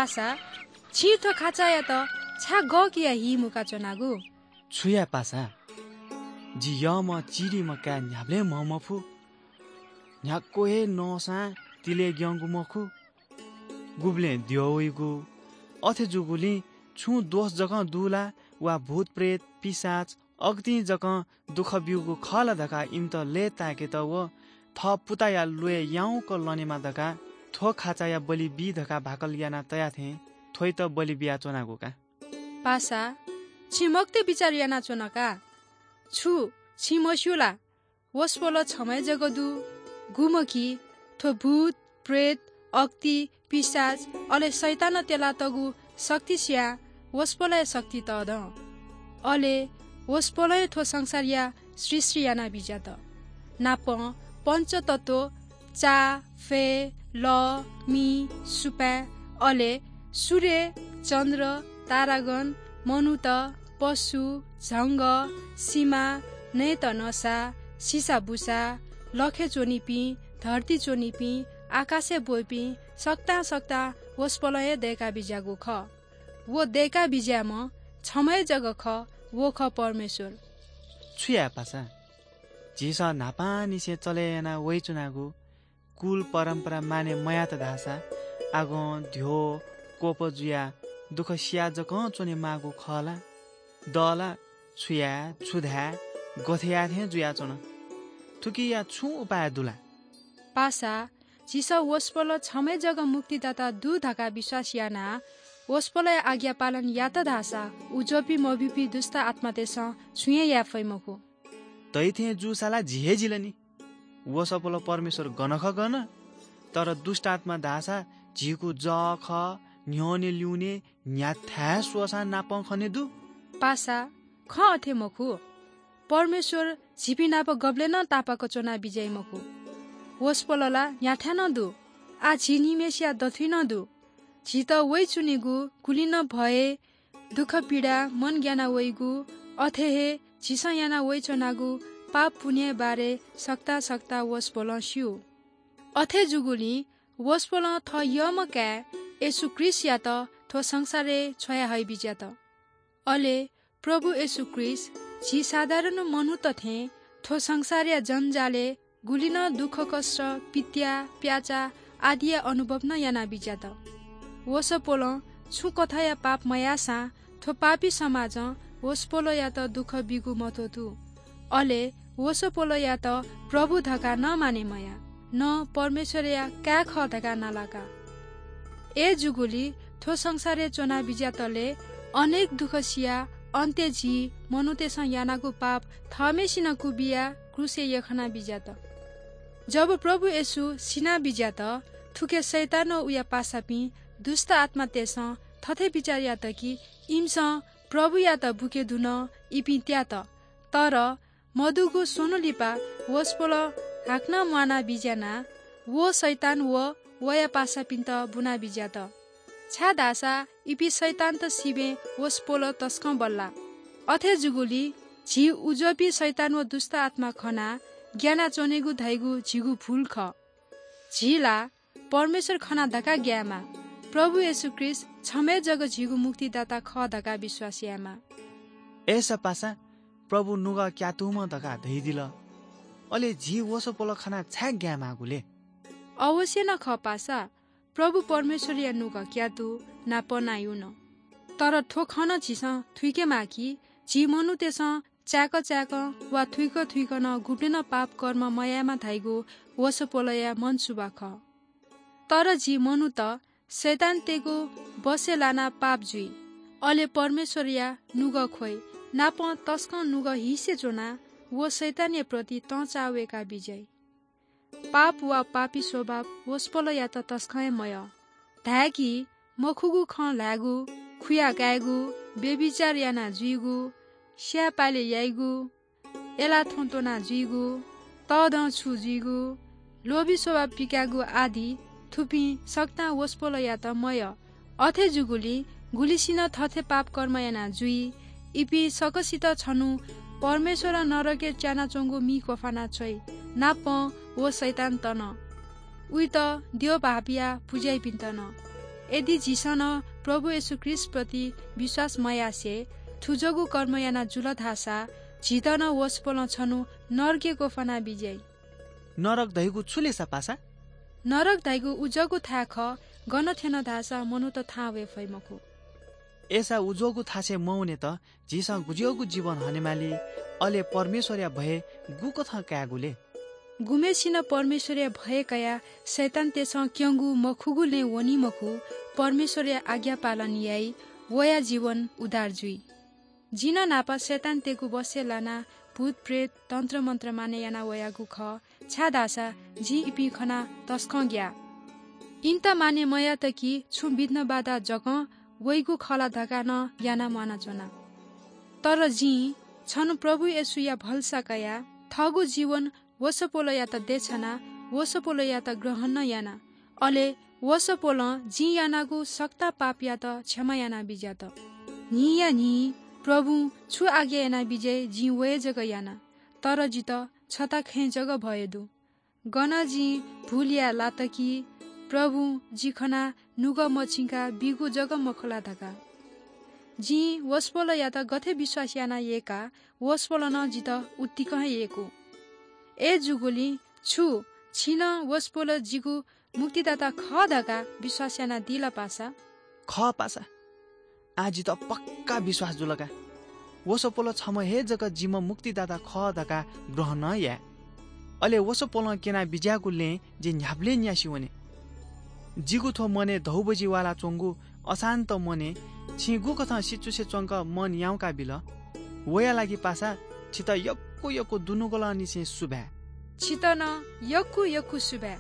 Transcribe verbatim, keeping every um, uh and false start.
पासा, छिं थ्व खाचायात छाय् गःकिया हि मुका च्वनागु? छु याये पासा? जि यःम्ह चिधीम्ह काय् न्ह्याबलें म्ह मफु। न्ह्याक्व हे नःसां तिलय् ग्यंगु मखु। गुबलें द्यः वइगु। अथे जूगुलिं छुं दोष जकं दु ला, वा भूतप्रेत, पिशाच, अगतिं जकं दुःख ब्यूगु खः ला धकाः इमित लय्ताय्केत व थः पुताया ल्वय् याउँक लनेमा धकाः थ्व खाचाया बलि बी धकाः भाकल याना तया थें थ्वइत बलि बियाच्वनागु का। पासा, छिं मखुत बिचाः यानाच्वन का। छु छिं मस्यू ला? वसपोल छम्ह हे जक दु। गुम्ह कि थ्व भूत, प्रेत, अक्ति, पिशाच, अले शैतानं त्यलातःगु शक्ति सियाः वसपोलया शक्ति तःधं। अले वसपोलं हे थ्व संसारया सृष्टि याना बिज्यात। नापं पञ्चतत्व, चा, फय्, लः, मि, सुपाँय्, अले सूर्य, चन्द्र, तारागण, मनूत, पशु, झंगः, सिमा, नयेत नसा, सिसाबुसा, लखय् च्वनीपिं, धर्ती च्वनीपिं, आकाशय् ब्वइपिं सकतां सकतां वसपोलं हे दय्का बिज्यागु खः। व दय्का बिज्याःम्ह छम्ह हे जक खः, व खः परमेश्वर। छु याये पासा? झीसं न्हापांनिसें चले याना वइच्वनागु कुल परम्परा माने मयात धाःसा आगं द्यः क्वप जुयाः दुःख सिया जकं च्वने माःगु खः ला? द ला? छु याये, छु धाये, गथे याये थें जुयाच्वन। थुकिया छुं उपाय दु ला? पासा, झीसं वसपोल छम्ह हे जक मुक्तिदाता दु धकाः विश्वास यानाः वसपोलया आज्ञा पालन यात धाःसा उज्वःपिं मभिंपिं दुष्ट आत्मातय्सं छुं हे याये फइ मखु। दइथें जूसा ला झी हे जिल नि। वसपोल परमेश्वर गन खः गन, तर दुष्ट आत्मा धाःसा झीगु जः खः, न्ह्यःने ल्यूने न्ह्याथाय् स्वःसां नापं खने दु। पासा, खँ अथे मखु। परमेश्वर झीपिं नाप गबलें नं तापाक च्वना बिज्याइ मखु। वसपोल ला न्ह्याथाय् नं दु। आः झी निम्हय्सिया दथुइ नं दु। झीत वइच्वनीगु गुलि नं भय, दुःख पीडा, मन ग्याना वइगु, अथे हे झीसं याना वइच्वनागु पाप पुण्यया बारे सकतां सकतां वसपोलं स्यू। अथे जूगुलिं वसपोलं थः यःम्ह काय् येशू ख्रीष्टयात थ्व संसारय् छ्वया हइबिज्यात। अले प्रभु येशू ख्रीष्ट झी साधारण मनूत थें थ्व संसारया जन्जालय् गुलि नं दुःखकष्ट, पित्या, प्याचा आदिया अनुभव नं याना बिज्यात। वसपोलं छुं कथंया पाप मयाःसां थ्व पापी समाजं वसपोलयात दुःख बीगु मत्वःतू। अले वसपोलयात प्रभु धकाः नं माने मयाः, न परमेश्वरया काय् खः धकाः नालाका। अय्जूगुलिं थ्व संसारय् च्वना बिज्यातले अनेक दुःख सियाः अन्त्यय् झी मनूतय्सं यानागु पाप थःम्हेसिनं क्वबियाः क्रूसय् यख्खना बिज्यात। जब प्रभु येशू सिना बिज्यात, थुके शैतान व उया पासापिं दुष्ट आत्मातय्सं थथे बिचाः यात कि इमिसं प्रभुयात बुके धुन, इपिं त्यात। तर मदुगु स्वन्हु लिपा वसपोलं हाकनं म्वाना बिज्यानाः व शैतान व वया पासापिन्त बुना बिज्यात। छाय्धाःसा इपिं शैतानत सिबें वसपोल तसकं बल्लाः। अथे जूगुलिं झी उज्वःपिं शैतान व दुष्ट आत्मा खनाः ग्यानाच्वनेगु धइगु झीगु भूल खः। झी ला परमेश्वर खना धकाः ग्यायेमाः। प्रभु येशू ख्रीष्ट छम्ह हे जक झीगु मुक्तिदाता खः धकाः विश्वास यायेमाः। अय्सा पासा प्रभु नुगः क्यातूम्ह धकाः धयादिल। अले झी वसपोल खनाः छाय् ग्यायेमाःगु ले? अवश्य नं खः पासा, प्रभु परमेश्वरया नुगः क्यातू, नापं नायू नं। तर थ्व खँ नं झीसं थुइकेमाः कि झी मनूतय्सं चाय्क चाय्कं वा थुइक थुइकं नं गुबलें नं पाप कर्म मयायेमा धाइगु वसपोलया मनसुवा खः। तर झी मनूत शैतानतय्गु बसय् लानाः पाप जुइ, अले परमेश्वरया नुगः ख्वइ, नापं तसकं नुगः हिसे च्वनाः व शैतानया प्रति तंचाः वय्का बिज्याइ। पाप वा पापी स्वभाव वसपोलयात तसकं हे मयः। धाय्कि मखुगु खँ ल्हायेगु, खुया कायेगु, व्‍यभिचार याना जुइगु, स्याये पाले याइगु, अय्लाः थ्वँ त्वना जुइगु, तःधं छु जुइगु, लोभी स्वभाव पिकायेगु आदि, थुपिं सकतां वसपोलयात मयः। अथे जूगुलिं गुलिसिनं थथे पाप कर्म याना जुइ, इपिं सकसित छन्हु परमेश्वरं नरकय् च्यानाच्वंगु मि क्वफाना छ्वइ, नापं व शैतानत नं, उइत द्यः भाःपियाः पुज्याइपिन्त नं। यदि झीसं नं प्रभु येशू ख्रीष्टप्रति विश्वास मयासें थुजःगु कर्म याना जुल धाःसा झीत नं वसपोलं छन्हु नरकय् ग्वफाना बिज्याइ। नरक धइगु छु ले सा पासा? नरक धइगु उजःगु थाय् खः, गन थ्यन धाःसा मनूत थाहां वये फइ मखु। अय्सा उजःगु थासय् मवनेत झीसं गुज्याःगु जीवन हनेमाली, अले परमेश्वरया भय गुकथं कायेगु ले? गुम्हेसिनं परमेश्वरया भय कयाः शैतानतय्सं क्यंगु मखुगु लँय् वनी मखु, परमेश्वरया आज्ञा पालन याइ, वया जीवन उद्धार जुइ। जिं नं न्हापा शैतानतय्गु बसय् लानाः भूतप्रेत, तन्त्रमन्त्र मानय् याना वयागु खः, छाय्धाःसा जिं इपिं खनाः तसकं ग्याः। इमित मानय् मयात कि छुं विघ्न बाधा जकं वइगु खः ला धकाः नं यानाः म्वानाच्वना। तर जिं छन्हु प्रभु येशूया भलसा कयाः थःगु जीवन वसपोलयात देछानाः वसपोलयात ग्रहण नं याना। अले वसपोलं जिं यानागु सकतां पापयात क्षमा याना बिज्यात। न्हिंया न्हिं प्रभुं छु आज्ञा याना बिज्याइ जिं व हे जक याना। तर जितः छता खँय् जक भय दु। गन जिं भुल याये लात कि प्रभुं जि खनाः नुगः मछिंकाः बीगु जक मखु ला धकाः। जिं वसपोलयात गथे विश्वास याना यय्का, वसपोलं नं जितः उत्तिकं हे यय्कू। अय्जूगुलिं छु छिं नं वसपोल जिगु मुक्तिदाता खः धकाः विश्वास यानादी ला पासा? खः पासा, आः जितः पक्का विश्वास जुल का। वसपोल छम्ह हे जक जिम्ह मुक्तिदाता खः धकाः ग्रहण याये। अले वसपोलं क्यना बिज्याःगु लँय् जि न्ह्याबलें न्यासि वने। जिगु थ्व मनय् धौबजि वालाच्वंगु अशान्त मनय् छिं गुकथं सिचुसे च्वंक मन याउँका बिल, वया लागि पासा छितः यक्व यक्व दुनुगलंनिसें सुभाय्। छितः नं यक्व यक्व सुभाय्।